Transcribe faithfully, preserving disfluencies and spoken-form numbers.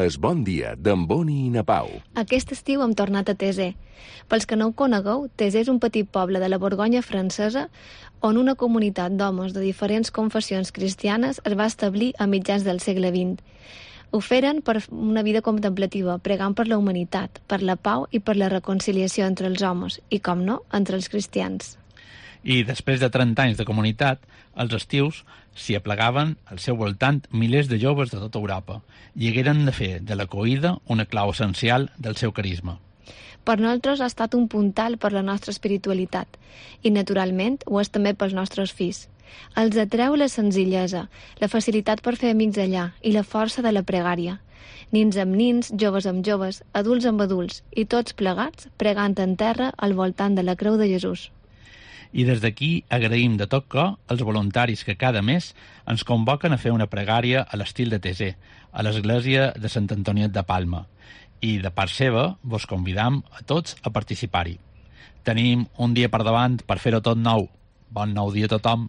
Es Bon Dia, d'en Boni i na Pau. Aquest estiu hem tornat a Tesé. Pels que no ho conegueu, Tesé és un petit poble de la Borgonya francesa on una comunitat d'homes de diferents confessions cristianes es va establir a mitjans del segle vint. Ho feren per una vida contemplativa, pregant per la humanitat, per la pau i per la reconciliació entre els homes i, com no, entre els cristians. I després de trenta anys de comunitat, els estius s'hi aplegaven al seu voltant milers de joves de tota Europa i hagueren de fer de l'acollida una clau essencial del seu carisma. Per nosaltres ha estat un puntal per la nostra espiritualitat i, naturalment, ho és també pels nostres fills. Els atreu la senzillesa, la facilitat per fer amics allà i la força de la pregària. Nins amb nins, joves amb joves, adults amb adults i tots plegats pregant en terra al voltant de la creu de Jesús. I des d'aquí agraïm de tot cor als voluntaris que cada mes ens convoquen a fer una pregària a l'estil de Tesé, a l'església de Sant Antoniet de Palma. I de part seva vos convidam a tots a participar-hi. Tenim un dia per davant per fer-ho tot nou. Bon nou dia a tothom!